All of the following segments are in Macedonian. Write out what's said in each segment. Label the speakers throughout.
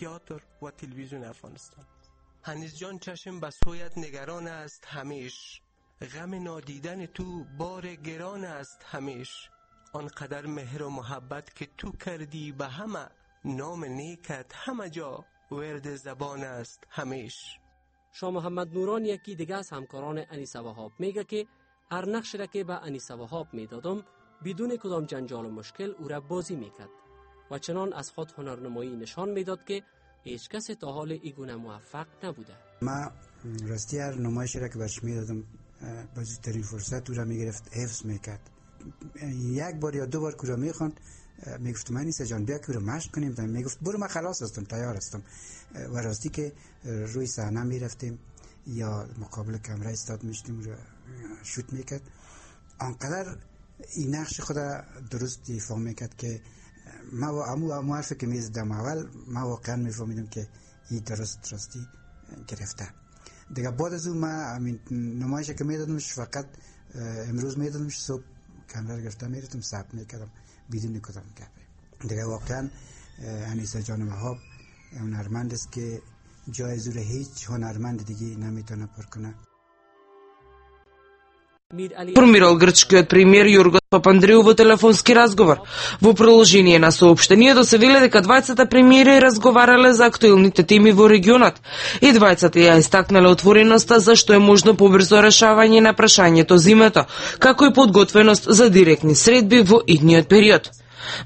Speaker 1: تئاتر و تلویزیون افغانستان. هنیز جان چشم به سویت نگران است همیش، غم نادیدن تو بار گران است همیش. آنقدر مهر و محبت که تو کردی به همه، نام نیکت همه جا ورد زبان است همیش.
Speaker 2: شاه محمد نوران یکی دیگه از همکاران انیسه وهاب میگه که هر نقشی را که به انیسه وهاب میدادم بدون کدام جنجال و مشکل او را بازی میکرد و چنان از خود هنرنمایی نشان میداد که هیچ کسی تا حال ایگونه موفق نبوده.
Speaker 3: ما راستی هر نمایشی را که برش میدادم با زودترین فرصت او را میگرفت، حفظ میکرد. یک بار یا دو بار که را میخواند میگفتم انیسه جان بیا که رو مشق کنیم، میگفت برو من خلاص هستم، تیار هستم. و راستی که روی صحنه میرفتیم یا مقابل کامرا استاد میشتیم رو شوت میکرد، آنقدر این نقش خود درست ایفا میکرد که ما حرفی که میزدم اول ما واقعا میفهمیدم که این راستی گرفته. دیگه بعد از اون ما نمایشی که میدادمش فقط امروز میدادمش، صبح کامرا گرفته میرفتم ثبت میکردم بدون کدام گپ. دیگه واقعا انیسه جان وهاب هنرمند است که جای زور هیچ هنرمند دیگه نمیتونه پر کنه.
Speaker 4: Информирал грчкиот премиер Јоргос Папандреу во телефонски разговор. Во продолжение на соопштението се вели дека двајцата премиери разговарале за актуелните теми во регионот и двајцата ја истакнале отвореноста за што е можно побрзо решавање на прашањето зимето, како и подготвеност за директни средби во идниот период.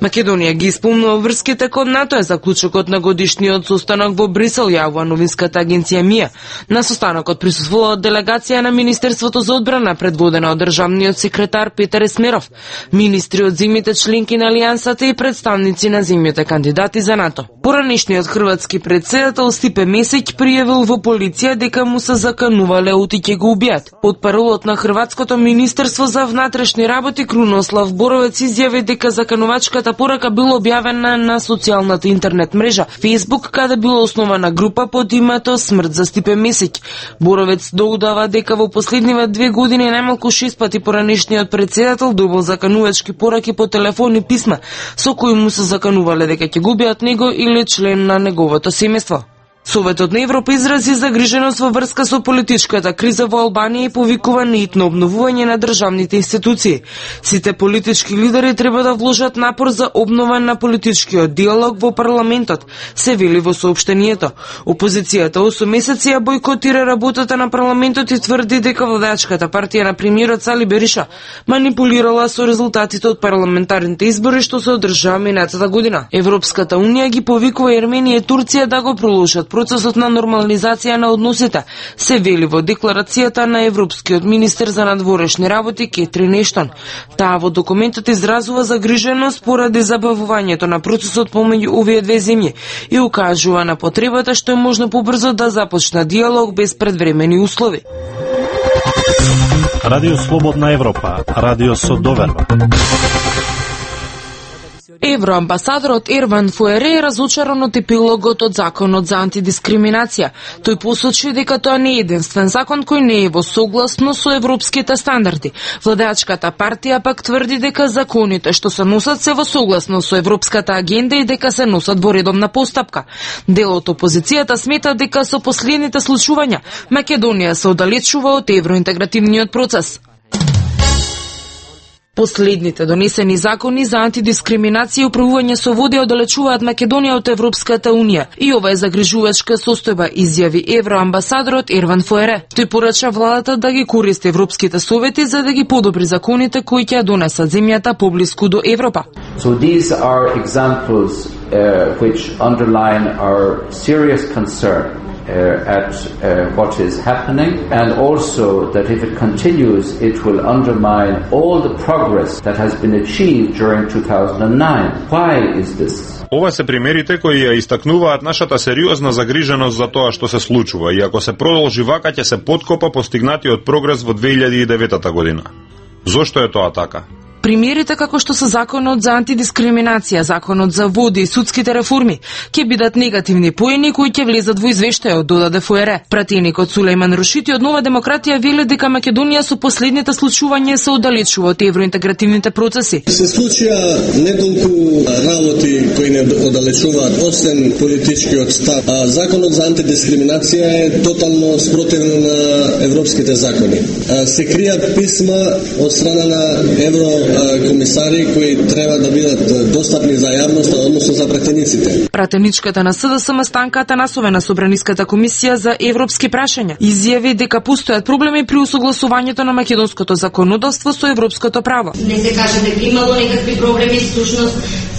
Speaker 4: Македонија ги исполнува врските кон НАТО е заклучокот на годишниот состанок во Брисел, јавува новинската агенција МИА. На состанокот присуствувала делегација на Министерството за одбрана предводена од државниот секретар Петар Есмеров, министри од земјите членки на Алијансата и представници на земјите кандидати за НАТО. Поранешниот хрватски претседател Стипе Месиќ пријавил во полиција дека му се заканувале оти ќе го убијат. Потпаролот на Хрватското министерство за внатрешни работи Крунослав Боровец изјави дека заканувачката порака била објавена на социјалната интернет мрежа Facebook, каде била основана група под името Смрт за Стипе Месиќ. Боровец додава дека во последниве 2 години најмалку 6 пати поранешниот претседател добил заканувачки пораки по телефон и писма со кои му се заканувале дека ќе го убијат него или член на неговото семејство. Советот на Европа изрази загриженост во врска со политичката криза во Албанија и повикува на итно обновување на државните институции. Сите политички лидери треба да вложат напор за обнова на политичкиот диалог во парламентот, се вели во соопштението. Опозицијата 8 месеци ја бойкотира работата на парламентот и тврди дека владачката партија на премиерот Сали Бериша манипулирала со резултатите од парламентарните избори што се одржаа минатата година. Европската унија ги повикува Ерменија и Турција да го продолжат процесот на нормализација на односите, се вели во декларацијата на европскиот министер за надворешни работи Кетрин Ештон. Таа во документот изразува загриженост поради забавувањето на процесот помеѓу овие две земји и укажува на потребата што е можно побрзо да започне диалог без предвремени услови.
Speaker 5: Радио Слободна Европа, радио со доверба.
Speaker 4: Евроамбасадорот Ерван Фуере е разочаран од епилогот од законот за антидискриминација. Тој посочи дека тоа не е единствен закон кој не е во согласност со европските стандарди. Владеачката партија пак тврди дека законите што се носат се во согласност со европската агенда и дека се носат во редовна постапка. Дел од опозицијата смета дека со последните случувања Македонија се оддалечува од евроинтегративниот процес. Последните донесени закони за антидискриминација и управување со води оддалечуваат Македонија од Европската Унија и ова е загрижувачка состојба, изјави евроамбасадорот Ерван Фуере. Тој порача владата да ги користи европските совети за да ги подобри законите кои ќе донесат земјата поблиску до Европа.
Speaker 6: So these are examples which underline our serious concern at what is happening, and also that if it continues it will undermine all the progress that has been achieved during 2009. Why is this?
Speaker 7: Ова се примерите кои ја истакнуваат нашата сериозна загриженост за тоа што се случува и ако се продолжи вака ќе се поткопа постигнатиот прогрес во 2009 година. Зошто е тоа така?
Speaker 4: примерите како што се законот за антидискриминација, законот за води и судските реформи ќе бидат негативни поени кои ќе влезат во извештајот, додаде ФР. Пратеникот Сулејман Рушити од Нова демократија вели дека Македонија со последните случувања се оддалечува од евроинтегративните процеси.
Speaker 8: Се случија неколку работи кои не оддалечуваат освен политичкиот став. Законот за антидискриминација е тотално спротивен на европските закони. Се кријат писма од страна на еврокомисари кои треба да бидат достапни за јавноста, односно за пратениците.
Speaker 4: Пратеничката на СДСМ Станка Атанасова на Собраниската комисија за европски прашања изјави дека постојат проблеми при усогласувањето на македонското законодавство со европското право.
Speaker 9: Не се каже дека имало некакви проблеми, всушност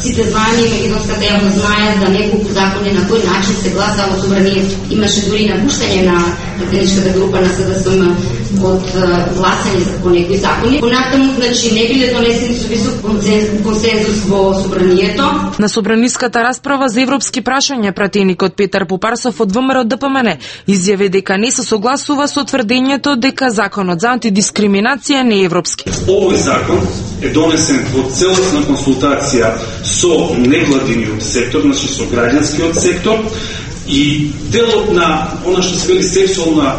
Speaker 9: сите знаеме и македонската јавност знае за неколку закони на кој начин се гласа во собранието. Имаше дури напуштање на пратеничката група на СДСМ од гласање по некои закони. Понатаму, значи, не биле донесени со висок консензус во собранието.
Speaker 4: На собраниската расправа за европски прашања пратеникот Петар Попарсов од ВМРО ДПМН изјави дека не се согласува со тврдењето дека законот за антидискриминација не е европски.
Speaker 10: Овој закон е донесен во целосна консултација со невладиниот сектор, значи со граѓанскиот сектор, и делот на она што се вели сексуална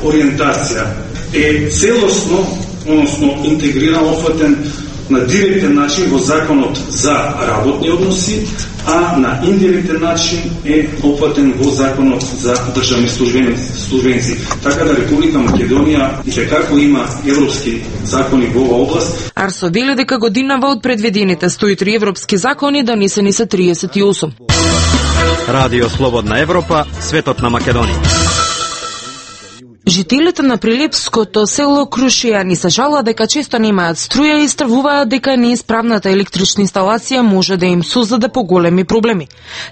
Speaker 10: ориентација е целосно, односно интегрирано, офатен на директен начин во законот за работни односи, а на индиректен начин е опфатен во законот за државни службеници. Така да Република Македонија и како има европски закони во оваа област.
Speaker 4: Арсо вели дека годинава од предвидените 103 европски закони донесени се 38.
Speaker 5: Радио Слободна Европа, светот на Македонија.
Speaker 4: Жителите на прилепското село Крушијани се жалат дека често немаат струја и стравуваат дека неисправната електрична инсталација може да им создаде поголеми проблеми.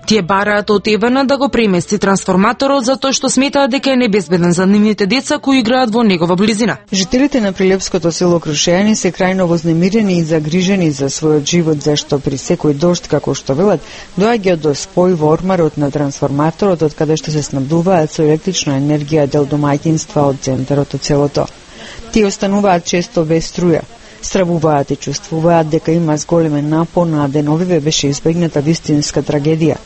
Speaker 4: Тие бараат од ЕВН да го премести трансформаторот затоа што сметаат дека е небезбеден за нивните деца кои играат во негова близина.
Speaker 11: Жителите на прилепското село Крушијани се крајно вознемирени и загрижени за својот живот, зашто при секој дожд, како што велат, доаѓа до спој во ормарот на трансформаторот од каде што се снабдуваат со електрична енергија дел домаќинства од центарот од селото. Тие остануваат често без струја. Стравуваат и чувствуваат дека има зголемен напон, а деновиве беше избегната вистинска трагедија.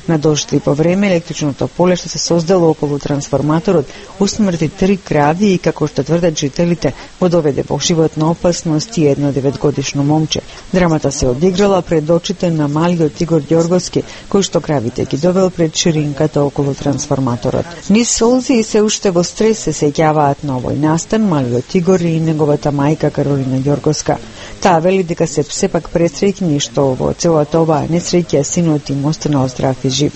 Speaker 11: На дожд и по време електричното поле што се создало околу трансформаторот усмрти 3 крави и, како што тврдат жителите, го доведе во животна опасност и едно 9-годишно момче. Драмата се одиграла пред очите на малиот Игор Ѓорговски, кој што кравите ги довел пред ширинката околу трансформаторот. Низ солзи и се уште во стрес се сеќаваат на овој настан малиот Игор и неговата мајка Каролина Ѓорговска. Таа вели дека се сепак пресреќни што во целата оваа несреќа синот им останал здрав и жив.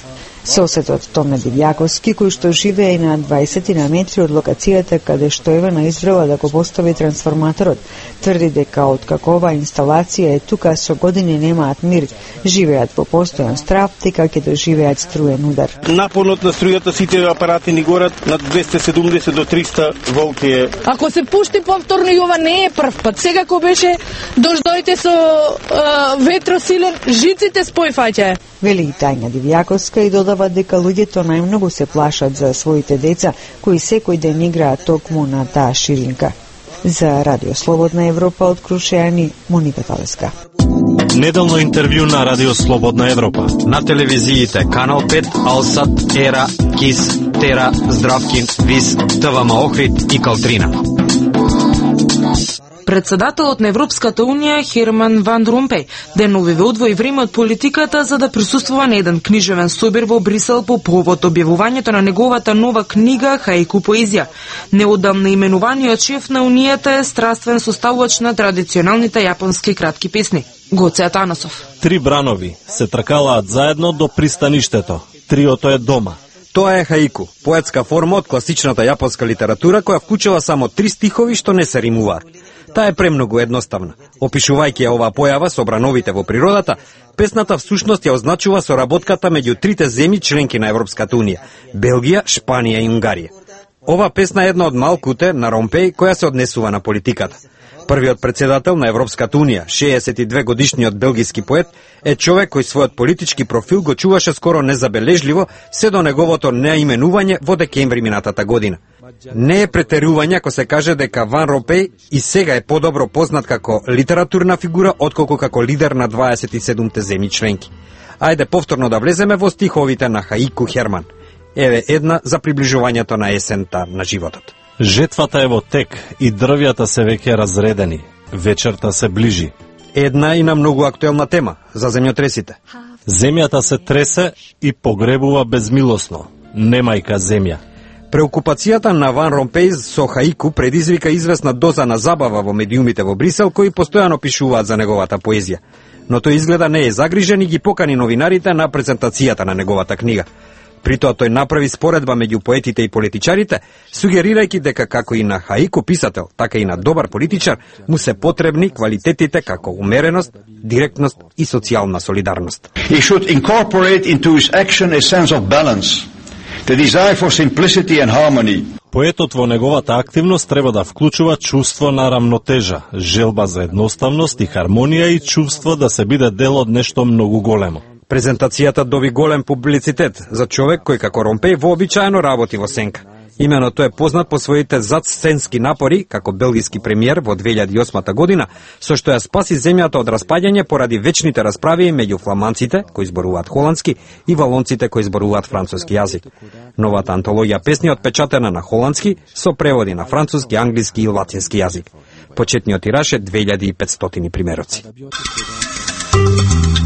Speaker 11: Соседот Томе Дивјаковски, кој што живее на 20 на метри од локацијата каде што Евана изврела да го постави трансформаторот, тврди дека откако оваа инсталација е тука со години немаат мир, живеат во постојан страв дека ќе доживеат струен удар.
Speaker 12: Напонот на струјата сите апарати ни горат над 270 до 300 волти.
Speaker 13: Ако се пушти повторно и ова не е прв пат. Сега кога беше дождоите со ветросилен, жиците спојфаќаја.
Speaker 11: Вели и Тајна Дивјаковска и додава дека луѓето најмногу се плашат за своите деца, кои секој ден играат токму на таа ширинка. За Радио Слободна Европа од Крушијани, Моника Талеска.
Speaker 5: Неделно интервју на Радио Слободна Европа.
Speaker 14: На телевизиите Канал 5, Алсат, Ера, Кис, Тера, Здравкин, Вис, ТВМ Охрид и Калтрина.
Speaker 4: Председателот на Европската Унија Херман Ван Ромпеј деновиве одвои време од политиката за да присуствува на еден книжевен собир во Брисел по повод објавувањето на неговата нова книга Хаику поезија. Неодамна именуваниот шеф на Унијата е страствен составувач на традиционалните јапонски кратки песни. Гоце Атанасов.
Speaker 5: 3 бранови се тркалаат заедно до пристаништето. Триото е дома.
Speaker 14: Тоа е хаику, поетска форма од класичната јапонска литература која вклучува само 3 стихови што не се римуваат. Таа е премногу едноставна. Опишувајќи ја оваа појава со брановите во природата, песната всушност ја означува соработката меѓу трите земји членки на Европската Унија – Белгија, Шпанија и Унгарија. Ова песна е една од малкуте на Ромпеј која се однесува на политиката. Првиот председател на Европската Унија, 62 годишниот белгиски поет, е човек кој својот политички профил го чуваше скоро незабележливо се до неговото неименување во декември минатата година. Не е претерување ако се каже дека Ван Ромпеј и сега е подобро познат како литературна фигура отколку како лидер на 27-те земји членки. Ајде повторно да влеземе во стиховите на Хаику Херман. Еве една за приближувањето на есента на животот.
Speaker 5: Жетвата е во тек и дрвјата се веќе разредени. Вечерта се ближи.
Speaker 14: Една и на многу актуелна тема за земјотресите.
Speaker 5: Земјата се тресе и погребува безмилосно. Немајка земја.
Speaker 14: Преокупацијата на Ван Ромпеј со Хаику предизвика известна доза на забава во медиумите во Брисел кои постојано пишуваат за неговата поезија. Но тој изгледа не е загрижен и ги покани новинарите на презентацијата на неговата книга. Притоа тој направи споредба меѓу поетите и политичарите, сугерирајќи дека како и на Хаику писател, така и на добар политичар, му се потребни квалитетите како умереност, директност и социјална солидарност.
Speaker 15: He should incorporate into his action a sense of balance, the desire for simplicity and harmony.
Speaker 5: Поетот во неговата активност треба да вклучува чувство на рамнотежа, желба за едноставност и хармонија и чувство да се биде дел од нешто многу големо.
Speaker 14: Презентацијата доби голем публицитет за човек кој како Ромпеј вообичаено работи во сенка. Имено тој е познат по своите задсценски напори како белгиски премиер во 2008 година, со што ја спаси земјата од распаѓање поради вечните расправи меѓу фламанците, кои зборуваат холандски, и валонците, кои зборуваат француски јазик. Новата антологија песни отпечатена на холандски со преводи на француски, англиски и латински јазик. Почетниот тираж е 2500 примероци.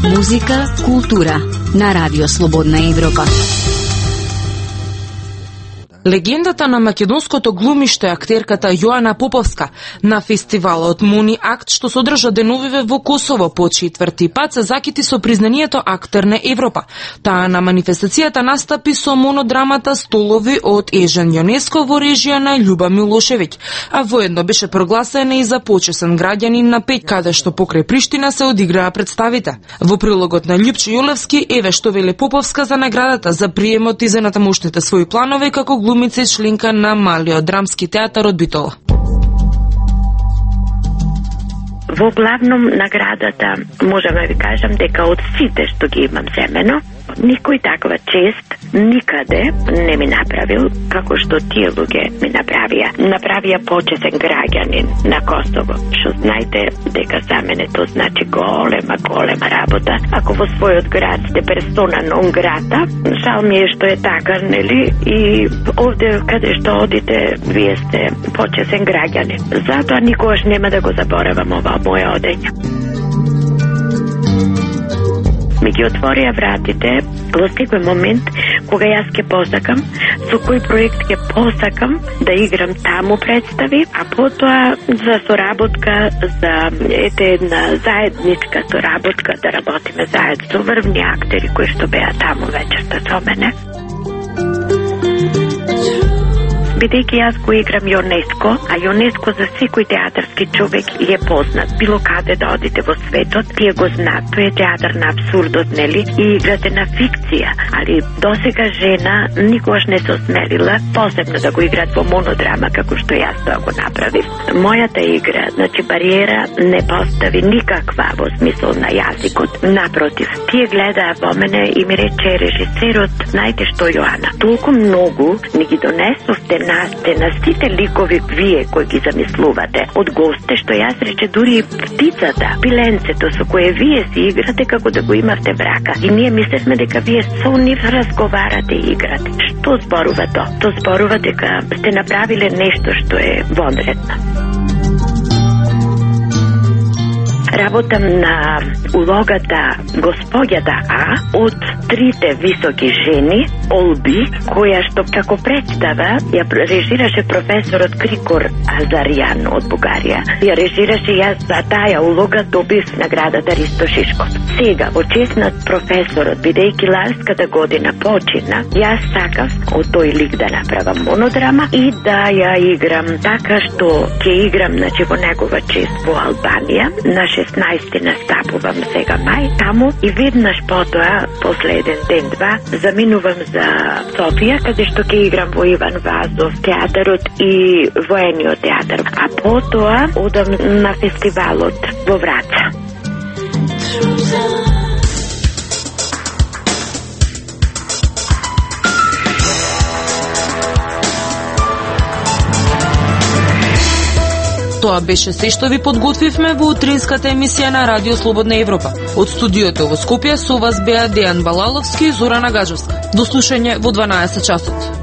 Speaker 16: Музика, култура на Радио Слободна Европа.
Speaker 4: Легендата на македонското глумиште актерката Јоана Поповска на фестивалот Муни Акт што се одржа деновиве во Косово по 4-ти пат се закити со признанието актер на Европа. Таа на манифестацијата настапи со монодрамата Столови од Ежен Јонеско во режија на Љуба Милошевиќ, а воедно беше прогласена и за почесен граѓанин на Пеќ, каде што покрај Приштина се одиграа представите. Во прилогот на Љупче Јолевски еве што вели Поповска за наградата за приемот и за натамошните своји планови како глумица и членка на Малиот драмски театар од Битола.
Speaker 17: Во главном наградата можам да ви кажам дека од сите што ги имам земено, никој таква чест никаде не ми направил како што тие луѓе ми направија. Направија почесен граѓанин на Косово. Што знаете дека за мене тоа значи голема работа. Ако во својот град сте персона нон грата, жал ми е што е така, нели? И овде каде што одите, вие сте почесен граѓанин. Затоа никогаш нема да го заборавам ова моја одења. Ми ги отворија вратите во секој момент кога јас ќе посакам, со кој проект ќе посакам да играм таму представи, а потоа за соработка, за една заедничка соработка да работиме заедно со врвни актери кои што беа таму вечерта со мене. Бидејќи јас го играм Јонеско, а Јонеско за секој театарски човек е познат. Било каде да одите во светот, тие го знаат. Тој е театар на абсурдот, нели? И играте на фикција. Али досега жена никогаш не се осмелила посебно да го играат во монодрама, како што јас тоа го направив. Мојата игра, значи бариера не постави никаква во смисол на јазикот. Напротив, тие гледаа во мене и ми рече режисерот, знаете што, Јоана, толку многу ни ги донесовте на сите ликови вие кои ги замислувате од госте, што јас рече дури и птицата, пиленцето со кое вие си играте како да го имавте брака. И ние мислевме дека вие со нив разговарате и играте. Што зборува тоа? Тоа зборува дека сте направиле нешто што е вонредно. Работам на улогата Господјата А од трите високи жени, Олби, која што како представа ја режираше професорот Крикор Азаријан од Бугарија. Ја режираше јас за таа улога добив наградата Ристо Шишков. Сега, во чест на професорот, бидејќи ларската година почина, јас сакав од тој лик да направам монодрама и да ја играм така што ќе играм, значи во негова чест во Албанија, на 16 настапувам сега мај таму и веднаш потоа, последен ден-два, заминувам за Софија, каде што ќе играм во Иван Вазов театарот и воениот театар. А потоа одам на фестивалот во Враца.
Speaker 4: Тоа беше се што ви подготвивме во утринската емисија на Радио Слободна Европа. Од студиото во Скопје со вас беа Дејан Балаловски и Зорана Гаджевска. До слушање во 12 часот.